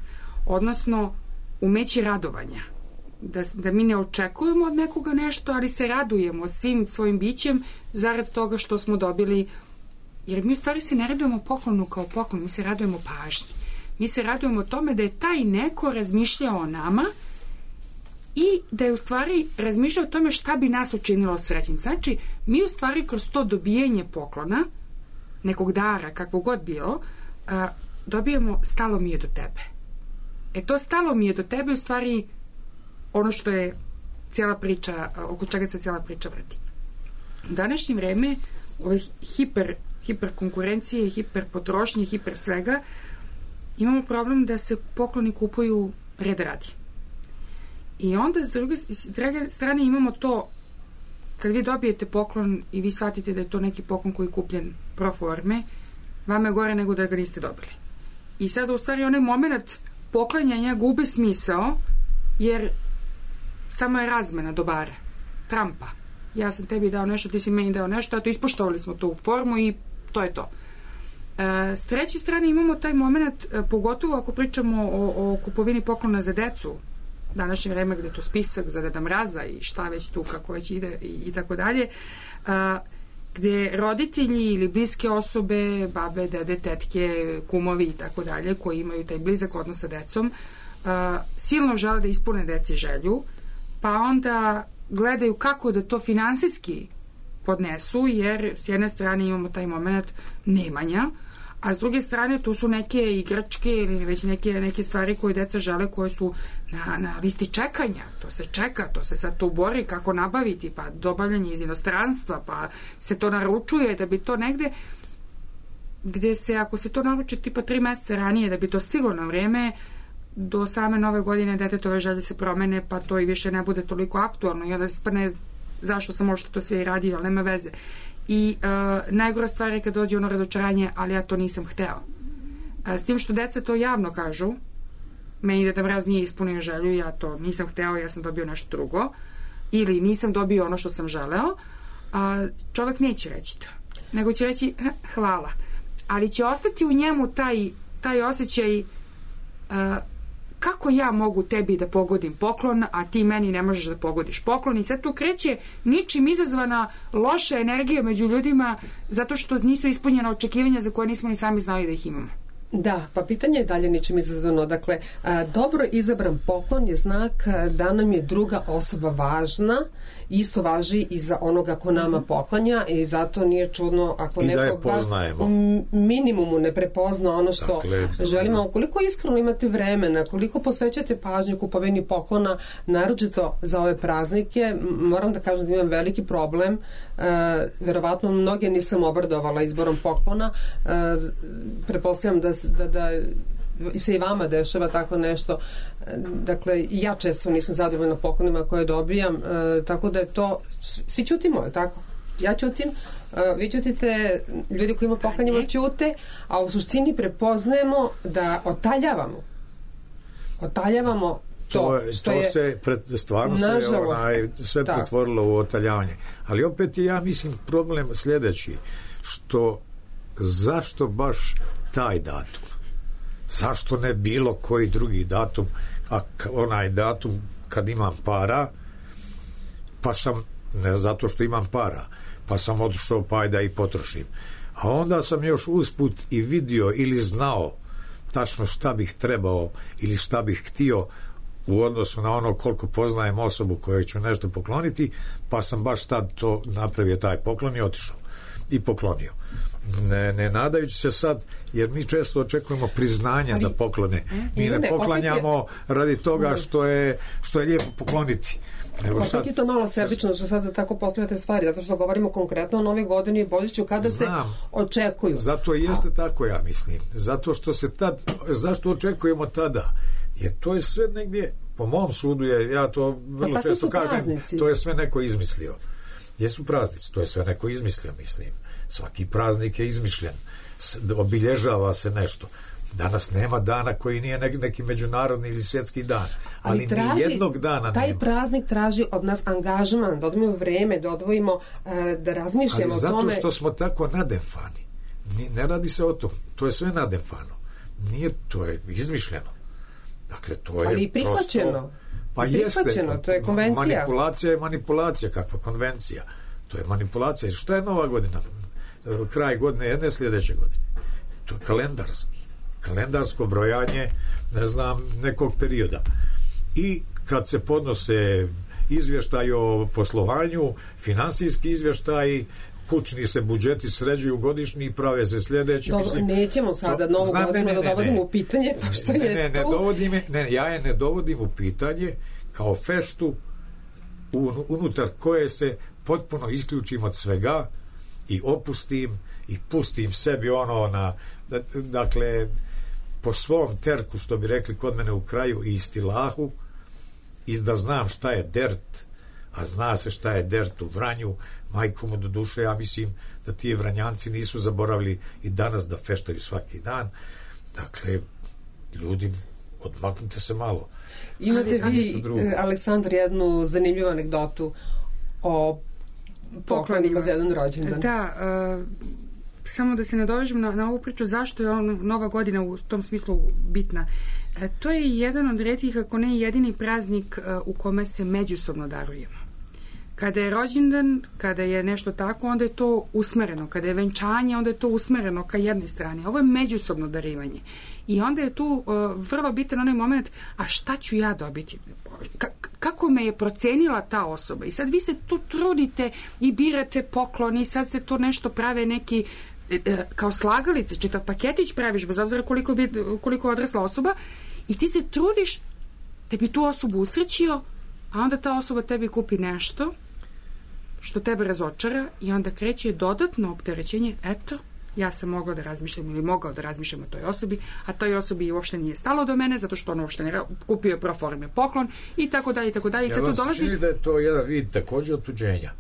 odnosno umeće radovanja. Da mi ne očekujemo od nekoga nešto, ali se radujemo svim svojim bićem zarad toga što smo dobili, jer mi u stvari se ne radujemo poklonu kao poklon, mi se radujemo pažnji. Mi se radujemo tome da je taj neko razmišljao o nama i da je u stvari razmišljao o tome šta bi nas učinilo srećnim. Znači, mi u stvari kroz to dobijanje poklona, nekog dara, kakvo god bilo, dobijemo stalo mi je do tebe. To stalo mi je do tebe u stvari ono što je cijela priča, oko čega se cijela priča vrti. U današnje vreme, ove hiper konkurencije, hiper potrošnje, hiper svega, imamo problem da se pokloni kupuju red radi. I onda s druge strane imamo to, kad vi dobijete poklon i vi shvatite da je to neki poklon koji je kupljen pro forme, vama je gore nego da ga niste dobili. I sada u stvari onaj moment poklanjanja gubi smisao, jer samo je razmena dobara, trampa. Ja sam tebi dao nešto, ti si meni dao nešto, a to ispoštovali smo tu formu i to je to. S treće strane imamo taj moment, pogotovo ako pričamo o kupovini poklona za decu, današnje vreme gde je to spisak za Deda Mraza i šta već tu, kako već ide i tako dalje, gde roditelji ili bliske osobe, babe, dede, tetke, kumovi i tako dalje, koji imaju taj blizak odnos sa decom, silno žele da ispune deci želju, pa onda gledaju kako da to finansijski podnesu, jer s jedne strane imamo taj moment nemanja, a s druge strane tu su neke igračke ili već neke stvari koje deca žele, koje su na listi čekanja. To se čeka, to se sad tu bori kako nabaviti, pa dobavljanje iz inostranstva, pa se to naručuje da bi to negde gde se, ako se to naruči tipa 3 meseca ranije da bi to stiglo na vreme, do same nove godine detetove želje se promene, pa to i više ne bude toliko aktualno i onda se sprne zašto sam možda to sve i radio, ali nema veze. I najgora stvar je kad dođe ono razočaranje, ali ja to nisam hteo. S tim što deca to javno kažu, meni Deda Mraz nije ispunio želju, ja to nisam hteo, ja sam dobio nešto drugo, ili nisam dobio ono što sam želeo, čovek neće reći to, nego će reći hvala, ali će ostati u njemu taj osjećaj kako ja mogu tebi da pogodim poklon, a ti meni ne možeš da pogodiš poklon, i sad tu kreće ničim izazvana loša energija među ljudima zato što nisu ispunjena očekivanja za koje nismo ni sami znali da ih imamo. Da, pa pitanje je dalje ničim izazvano. Dakle, dobro izabran poklon je znak da nam je druga osoba važna, isto važi i za onoga ko nama poklanja, i zato nije čudno ako neko u minimumu ne prepozna ono što želimo. Koliko iskreno imate vremena, koliko posvećujete pažnju kupovini poklona, naročito za ove praznike. Moram da kažem da imam veliki problem, verovatno mnoge nisam obradovala izborom poklona, pretpostavljam da se i vama dešava tako nešto. Dakle, ja često nisam zadovoljna poklonima koje dobijam, tako da je to, svi ćutimo, je tako? Ja ćutim, vi ćutite, ljudi koji ima poklanjamo ćute, a u suštini prepoznajemo da otaljavamo to što je stvarno se sve pretvorilo u otaljavanje. Ali opet je, ja mislim, problem sljedeći, što zašto baš taj datum? Zašto ne bilo koji drugi datum, a onaj datum kad imam para, pa sam, ne zato što imam para, pa sam otišao pa da i potrošim. A onda sam još usput i vidio ili znao tačno šta bih trebao ili šta bih htio u odnosu na ono koliko poznajem osobu kojoj ću nešto pokloniti, pa sam baš tad to napravio, taj poklon, i otišao i poklonio. Ne nadajući se sad, jer mi često očekujemo priznanja za poklone. Mi ne poklanjamo radi toga što je lijepo pokloniti. Opet je to malo sebično što sada tako postavljate stvari, zato što govorimo konkretno o Nove godine i Božiću kada se očekuju. Zato jeste tako, ja mislim. Zato što se zašto očekujemo tada? Jer to je sve negdje, po mom sudu ja to vrlo često kažem, to je sve neko izmislio. Jesu praznici, to je sve neko izmislio, mislim. Svaki praznik je izmišljen, obilježava se nešto. Danas nema dana koji nije neki međunarodni ili svjetski dan, ali ni jednog dana taj nema. Praznik traži od nas angažman, da odvojimo vreme, da odvojimo, da razmišljamo o tome. Ali zato što smo tako nademfani. Ne radi se o tom, to je sve nademfano. Nije, to je izmišljeno. Dakle, to je ali i prihvaćeno. Prosto, pa jeste, to je konvencija. Manipulacija je manipulacija, kakva konvencija. To je manipulacija. I šta je Nova godina? Kraj godine jedne, sljedeće godine. To je kalendarsko brojanje, ne znam, nekog perioda. I kad se podnose izvještaj o poslovanju, finansijski izvještaj, kućni se budžeti sređuju godišnji i prave se sljedeći. Dobro, mislim, nećemo sada novu godinu da dovodimo u pitanje, pošto je tu. Ja je ne dovodim u pitanje kao feštu unutar koje se potpuno isključim od svega i opustim i pustim sebi dakle, po svom terku, što bi rekli kod mene u kraju, i istilahu, i da znam šta je dert, a zna se šta je dert u Vranju. Majku mu do duše, ja mislim da ti Vranjanci nisu zaboravili i danas da feštaju svaki dan. Dakle, ljudi, odmaknite se malo. Imate vi, Aleksandar, jednu zanimljivu anegdotu o poklonima za jedan rođendan. Da, samo da se nadovežem na ovu priču zašto je Nova godina u tom smislu bitna. To je jedan od retkih, ako ne jedini praznik u kome se međusobno darujemo. Kada je rođendan, kada je nešto tako, onda je to usmereno. Kada je venčanje, onda je to usmereno ka jednoj strani. Ovo je međusobno darivanje. I onda je tu vrlo bitan onaj moment, a šta ću ja dobiti? Kako me je procenila ta osoba? I sad vi se tu trudite i birate poklon i sad se to nešto prave neki kao slagalice, čitav paketić praviš, bez obzira koliko je odrasla osoba, i ti se trudiš da bi tu osobu usrećio, a onda ta osoba tebi kupi nešto što tebe razočara i onda kreće dodatno opterećenje, eto, ja sam mogla da razmišljam ili mogao da razmišljam o toj osobi, a toj osobi uopšte nije stalo do mene, zato što on uopšte ne kupio je pro forme poklon i tako dalje, i tako dalje. Ja vam se čini da je to jedan vid takođe otuđenja.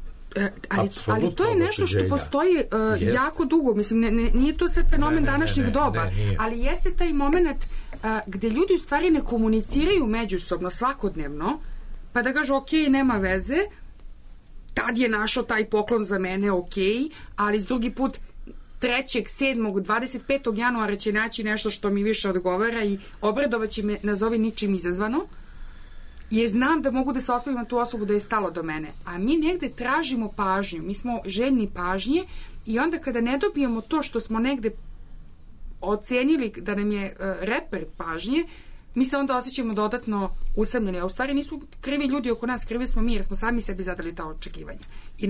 Ali to je nešto što postoji jako dugo, mislim, nije to sad fenomen današnjeg doba, ali jeste taj moment gde ljudi u stvari ne komuniciraju međusobno svakodnevno, pa da kažu, ok, nema veze, tad je našao taj poklon za mene, ok, ali s drugi put 3., 7., 25. januara će naći nešto što mi više odgovara i obradovaće me, nazovi ničim izazvano, jer znam da mogu da se oslovim na tu osobu da je stalo do mene. A mi negde tražimo pažnju, mi smo željni pažnje i onda kada ne dobijemo to što smo negde ocenili da nam je reper pažnje, mi se onda osjećamo dodatno usamljeni. A u stvari nisu krivi ljudi oko nas, krivi smo mi jer smo sami sebi zadali ta očekivanja. I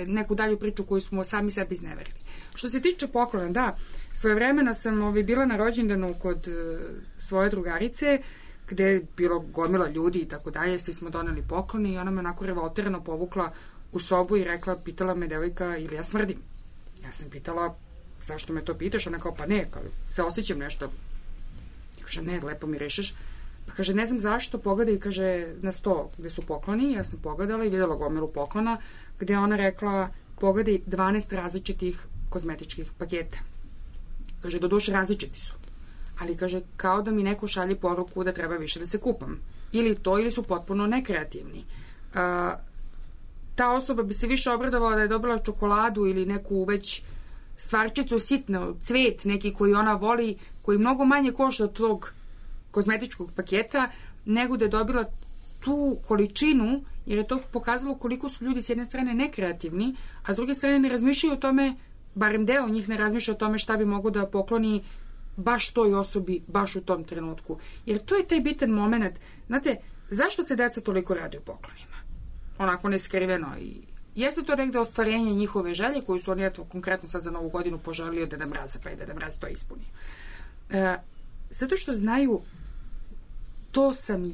neku dalju priču koju smo sami sebi izneverili. Što se tiče poklona, da, svojevremeno sam bila na rođendanu kod svoje drugarice, gde je bilo gomila ljudi i tako dalje, svi smo doneli poklone i ona me onako revoltirano povukla u sobu i rekla, pitala me devojka ili ja smrdim. Ja sam pitala, zašto me to pitaš? Ona kao, pa ne, se osjećam nešto. I kaže, ne, lepo mi rešeš. Pa kaže, ne znam zašto, pogledaj, kaže, na sto gde su pokloni, ja sam pogledala i videla gomilu poklona, gde ona rekla, pogledaj 12 različitih kozmetičkih paketa. Kaže, doduše različiti su. Ali kaže, kao da mi neko šalje poruku da treba više da se kupam. Ili to, ili su potpuno nekreativni. Ta osoba bi se više obradovala da je dobila čokoladu ili neku već stvarčicu sitno, cvet neki koji ona voli, koji mnogo manje košta od tog kozmetičkog paketa, nego da je dobila tu količinu, jer je to pokazalo koliko su ljudi s jedne strane nekreativni, a s druge strane ne razmišljaju o tome, barem deo njih ne razmišlja o tome šta bi mogo da pokloni baš toj osobi, baš u tom trenutku. Jer to je taj bitan moment. Znate, zašto se deca toliko raduju poklonima? Onako neskriveno. I jeste to negde ostvarenje njihove želje, koju su oni konkretno sad za Novu godinu poželili od Deda Mraza, pa i Deda Mraz to ispuni. Zato što znaju, to sam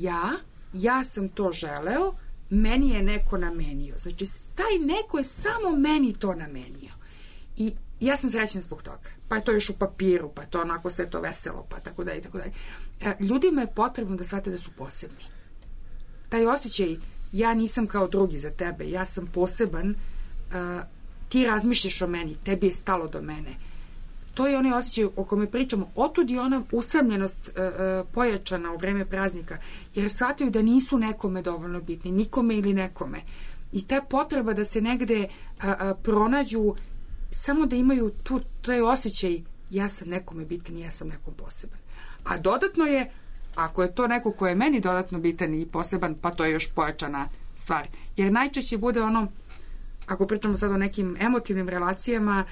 ja sam to želeo, meni je neko namenio. Znači, taj neko je samo meni to namenio. I ja sam srećna zbog toga. Pa je to još u papiru, pa je to onako sve to veselo, pa tako dalje, tako dalje. Ljudima je potrebno da shvate da su posebni. Taj osjećaj, ja nisam kao drugi za tebe, ja sam poseban, ti razmišljaš o meni, tebi je stalo do mene. To je onaj osjećaj o kome pričamo. Otud je ona usamljenost pojačana u vreme praznika, jer shvataju da nisu nekome dovoljno bitni, nikome ili nekome. I ta potreba da se negde pronađu, samo da imaju taj osjećaj, ja sam nekome bitan i ja sam nekom poseban. A dodatno je, ako je to neko ko je meni dodatno bitan i poseban, pa to je još pojačana stvar. Jer najčešće bude ono, ako pričamo sad o nekim emotivnim relacijama,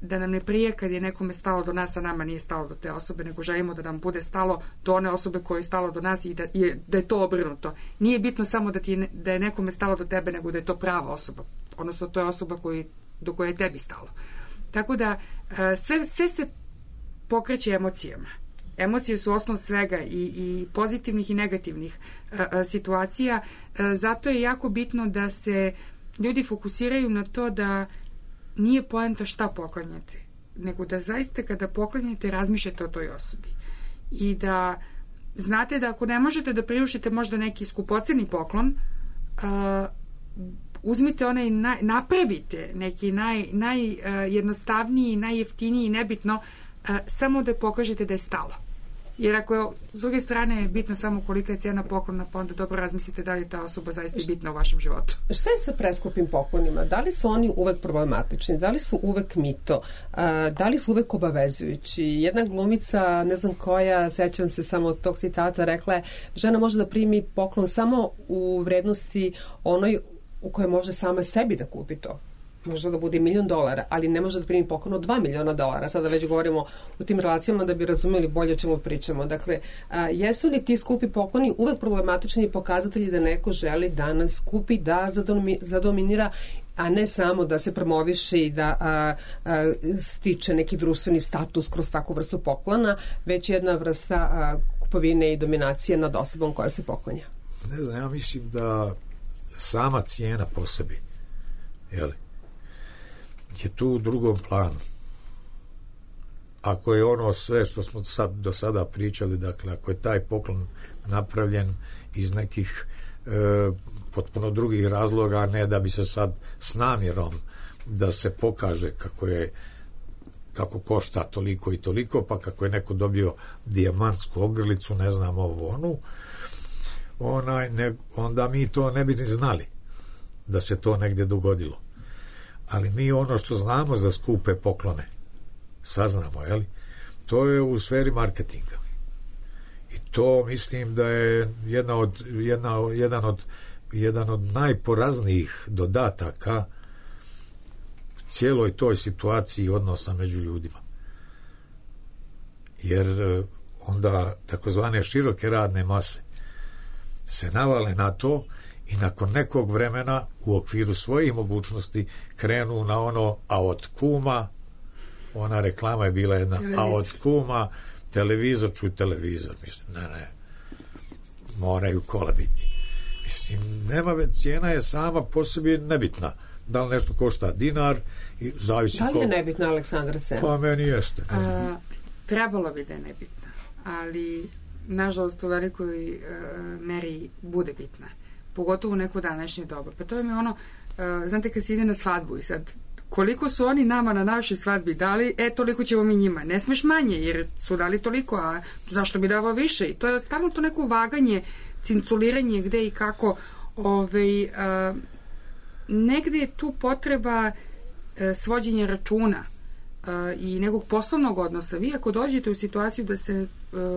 da nam ne prije kad je nekome stalo do nas, a nama nije stalo do te osobe, nego želimo da nam bude stalo do one osobe koje je stalo do nas i da je to obrnuto. Nije bitno samo da je nekome stalo do tebe, nego da je to prava osoba. Odnosno, to je osoba do koje je tebi stalo. Tako da, sve se pokreće emocijama. Emocije su osnov svega i pozitivnih i negativnih situacija. Zato je jako bitno da se ljudi fokusiraju na to da nije poenta šta poklanjate, nego da zaista kada poklanjate razmišljate o toj osobi. I da znate da ako ne možete da priuštite možda neki skupoceni poklon, uzmite onaj, napravite neki najjednostavniji, najjeftiniji, nebitno, samo da pokažete da je stalo. Jer ako s druge strane je bitno samo kolika je cijena poklona, pa onda dobro razmislite da li je ta osoba zaista bitna u vašem životu. Šta je sa preskupim poklonima? Da li su oni uvek problematični? Da li su uvek mito? Da li su uvek obavezujući? Jedna glumica, ne znam koja, sećam se samo od tog citata, rekla je, žena može da primi poklon samo u vrednosti onoj u kojoj može sama sebi da kupi to. Može da bude $1 milion, ali ne može da primi poklon od $2 miliona. Sada već govorimo u tim relacijama da bi razumeli bolje o čemu pričamo. Dakle, jesu li ti skupi pokloni uvek problematični pokazatelji da neko želi da nas kupi, da zadominira, a ne samo da se promoviše i da stiče neki društveni status kroz takvu vrstu poklona, već jedna vrsta kupovine i dominacije nad osobom koja se poklanja? Ne znam, ja mislim da sama cijena po sebi, jeli, je tu u drugom planu. Ako je ono sve što smo do sada pričali, dakle, ako je taj poklon napravljen iz nekih potpuno drugih razloga, a ne da bi se sad s namjerom da se pokaže kako košta toliko i toliko, pa kako je neko dobio dijamantsku ogrlicu, ne znam ovu onu, onda mi to ne bi ni znali da se to negdje dogodilo. Ali mi ono što znamo za skupe poklone saznamo, jeli? To je u sferi marketinga. I to mislim da je jedan od najporaznijih dodataka cijeloj toj situaciji odnosa među ljudima. Jer onda takozvane široke radne mase se navale na to i nakon nekog vremena u okviru svojih mogućnosti krenu na ono, a od kuma, ona reklama je bila jedna, a od kuma televizor, čuj televizor, mislim, ne, moraju kola biti. Mislim, cijena je sama po sebi nebitna. Da li nešto košta dinar i zavisi da li je nebitna, Aleksandra, cena? Pa meni jeste. Trebalo bi da je nebitna, ali nažalost u velikoj meri bude bitna. Pogotovo u neko današnje doba. Pa to je mi ono, znate kad se ide na svadbu i sad, koliko su oni nama na našoj svadbi dali, toliko ćemo mi njima. Ne smeš manje, jer su dali toliko, a zašto bi davao više? I to je stalno to neko vaganje, cinculiranje gde i kako. Negde je tu potreba svođenja računa i nekog poslovnog odnosa. Vi ako dođete u situaciju da se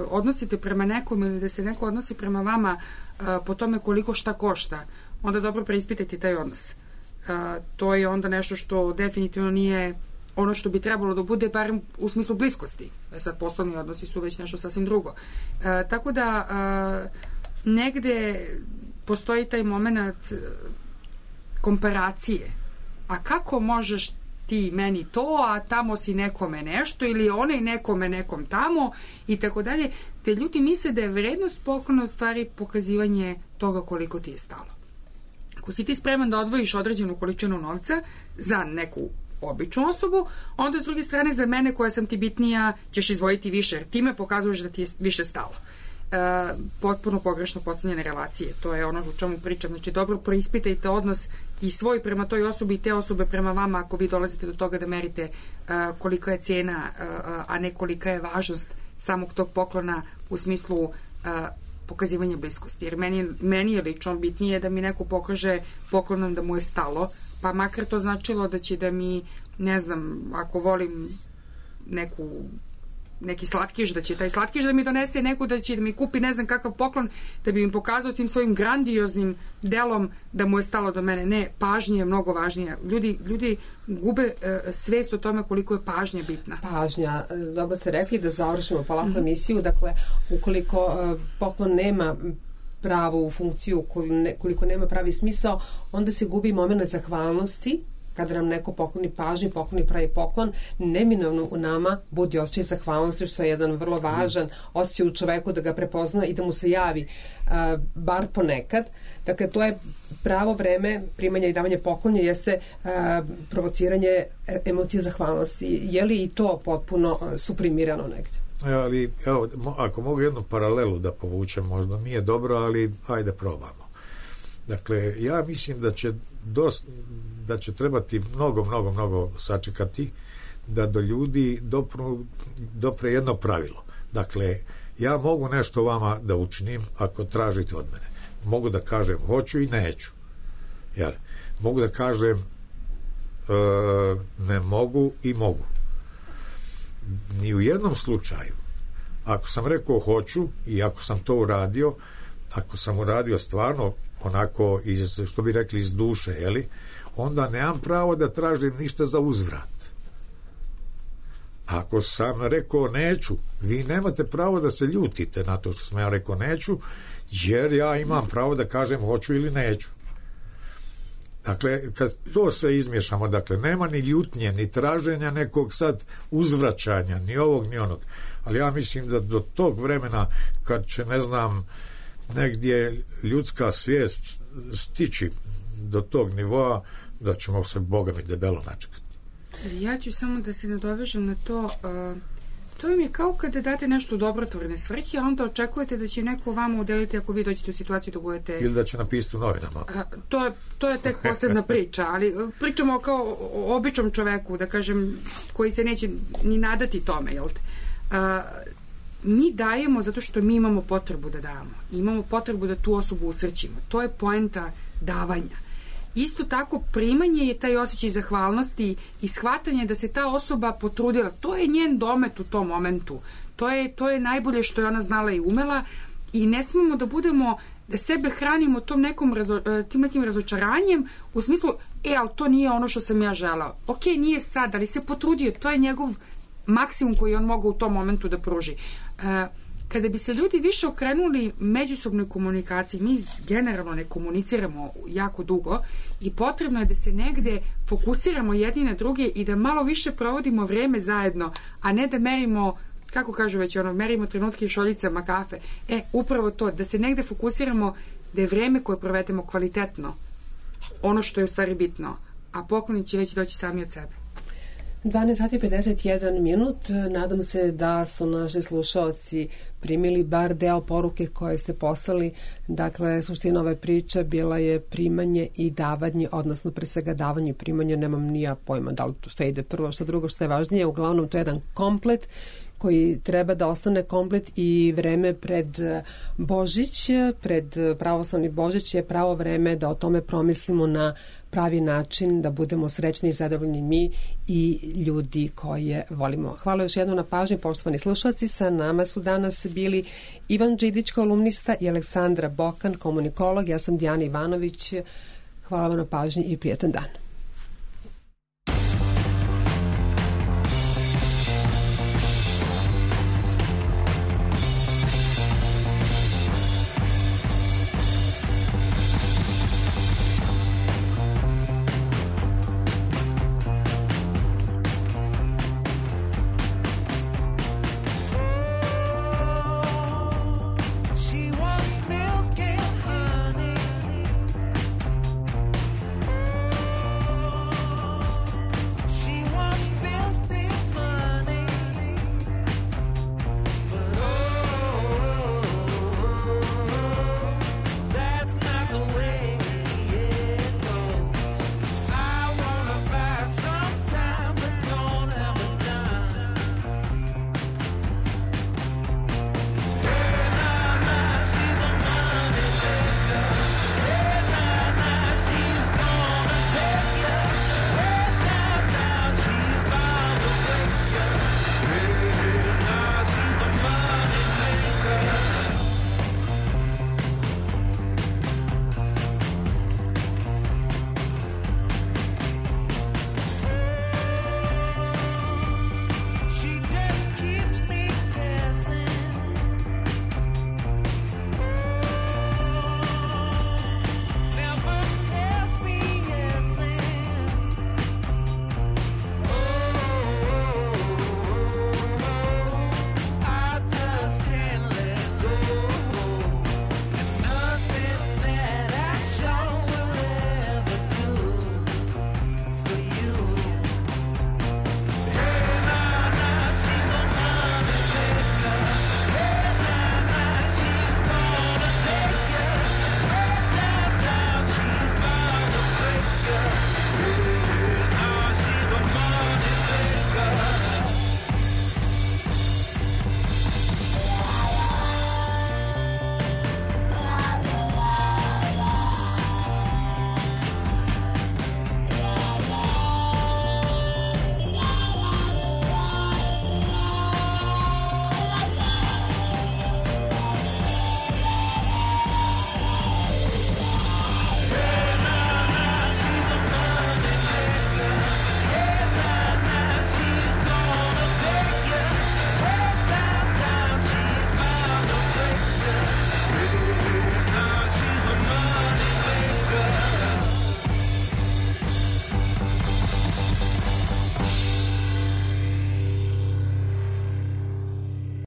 odnosite prema nekom ili da se neko odnosi prema vama po tome koliko šta košta, onda dobro preispitajte taj odnos. To je onda nešto što definitivno nije ono što bi trebalo da bude, barem u smislu bliskosti. Sad poslovni odnosi su već nešto sasvim drugo. Tako da negde postoji taj moment komparacije. A kako možeš ti meni to, a tamo si nekome nešto, ili onaj nekome nekom tamo, i tako dalje. Te ljudi misle da je vrednost poklona u stvari pokazivanje toga koliko ti je stalo. Ako si ti spreman da odvojiš određenu količinu novca za neku običnu osobu, onda s druge strane za mene koja sam ti bitnija ćeš izdvojiti više, jer time pokazuješ da ti je više stalo. Potpuno pogrešno postavljene relacije. To je ono o čemu pričam. Znači, dobro preispitajte odnos i svoj prema toj osobi i te osobe prema vama ako vi dolazite do toga da merite kolika je cijena, a ne kolika je važnost samog tog poklona u smislu pokazivanja bliskosti. Jer meni je lično bitnije da mi neko pokaže poklonom da mu je stalo, pa makar to značilo da će da mi, ne znam, ako volim neki slatkiš, da će taj slatkiš da mi donese, neko da će da mi kupi ne znam kakav poklon, da bi mi pokazao tim svojim grandioznim delom da mu je stalo do mene. Ne, pažnja je mnogo važnija. Ljudi gube svest o tome koliko je pažnja bitna. Pažnja. Dobro ste rekli, da završimo polako emisiju. Dakle, ukoliko poklon nema pravu funkciju, koliko nema pravi smisao, onda se gubi moment zahvalnosti. Kada nam neko pokloni pažnju, pokloni pravi poklon, neminovno u nama budi osjećaj zahvalnosti, što je jedan vrlo važan osjećaj u čoveku, da ga prepozna i da mu se javi bar ponekad. Dakle, to je pravo vreme primanja i davanja poklonja, jeste provociranje emocije zahvalnosti. Je li i to potpuno suprimirano negdje? Ali, ako mogu jednu paralelu da povučem, možda nije dobro, ali ajde probamo. Dakle, ja mislim da će trebati mnogo sačekati da do ljudi dopre jedno pravilo. Dakle, Ja mogu nešto vama da učinim ako tražite od mene. Mogu da kažem hoću i neću. Jel? Mogu da kažem ne mogu i mogu. Ni u jednom slučaju, ako sam rekao hoću i ako sam to uradio, ako sam uradio stvarno onako što bi rekli iz duše, jeli, onda nemam pravo da tražim ništa za uzvrat. Ako sam rekao neću, vi nemate pravo da se ljutite na to što sam ja rekao neću, jer ja imam pravo da kažem hoću ili neću. Dakle, kad to sve izmiješamo, dakle, nema ni ljutnje, ni traženja nekog sad uzvraćanja, ni ovog, ni onog. Ali ja mislim da do tog vremena, kad će, ne znam, negdje ljudska svijest stići do tog nivoa, da ćemo se, Boga mi, debelo načekati. Ja ću samo da se nadovežem na to. To vam je kao kada date nešto u dobrotvorne svrhe, a onda očekujete da će neko vama udeliti ako vi dođete u situaciju da budete... Ili da će napisati u novinama. To je tek posebna priča, ali pričamo kao o običnom čoveku, da kažem, koji se neće ni nadati tome, jel te? Mi dajemo zato što mi imamo potrebu da damo. Imamo potrebu da tu osobu usrećimo. To je poenta davanja. Isto tako, primanje je taj osjećaj zahvalnosti i shvatanje da se ta osoba potrudila. To je njen domet u tom momentu. To je najbolje što je ona znala i umela i ne smemo da budemo, da sebe hranimo tim nekim razočaranjem u smislu, ali to nije ono što sam ja želao. Ok, nije sad, ali se potrudio. To je njegov maksimum koji on mogao u tom momentu da pruži. Kada bi se ljudi više okrenuli međusobnoj komunikaciji, mi generalno ne komuniciramo jako dugo i potrebno je da se negde fokusiramo jedni na druge i da malo više provodimo vreme zajedno, a ne da merimo, kako kažu već, merimo trenutke i šoljicama kafe. Upravo to, da se negde fokusiramo da je vreme koje provedemo kvalitetno, ono što je u stvari bitno, a pokloni će već doći sami od sebe. 12 sati 51 minut. Nadam se da su naši slušaoci primili bar deo poruke koje ste poslali. Dakle, suština ove priče bila je primanje i davanje, odnosno pre svega davanje i primanje, nemam nija pojma da li to što ide prvo, što drugo, što je važnije. Uglavnom, to je jedan komplet koji treba da ostane komplet i vreme pred Božić, pred pravoslavni Božić je pravo vreme da o tome promislimo na pravi način, da budemo srećni i zadovoljni mi i ljudi koje volimo. Hvala još jednom na pažnji, poštovani slušalci. Sa nama su danas bili Ivan Đidić, kolumnista, i Aleksandra Bokan, komunikolog. Ja sam Dijana Ivanović. Hvala vam na pažnji i prijatan dan.